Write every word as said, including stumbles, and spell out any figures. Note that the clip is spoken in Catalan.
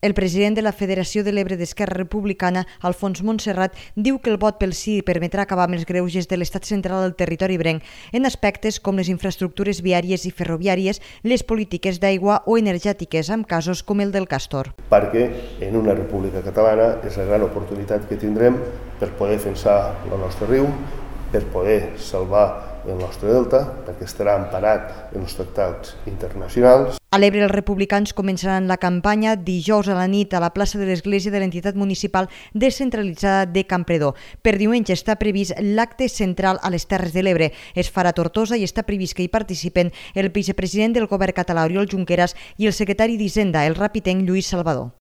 El president de la Federació de l'Ebre d'Esquerra Republicana, Alfons Montserrat, diu que el vot pel sí permetrà acabar amb els greuges de l'estat central al territori ebrenc en aspectes com les infraestructures viàries i ferroviàries, les polítiques d'aigua o energètiques, amb casos com el del Castor. Perquè en una república catalana és la gran oportunitat que tindrem per poder defensar el nostre riu, per poder salvar el nostre delta, perquè estarà emparat en els tractats internacionals. A l'Ebre, els republicans començaran la campanya dijous a la nit a la plaça de l'Església de l'entitat municipal descentralitzada de Campredó. Per diumenge està previst l'acte central a les Terres de l'Ebre. Es farà a Tortosa i està previst que hi participen el vicepresident del govern català, Oriol Junqueras, i el secretari d'Hisenda, el rapitenc Lluís Salvador.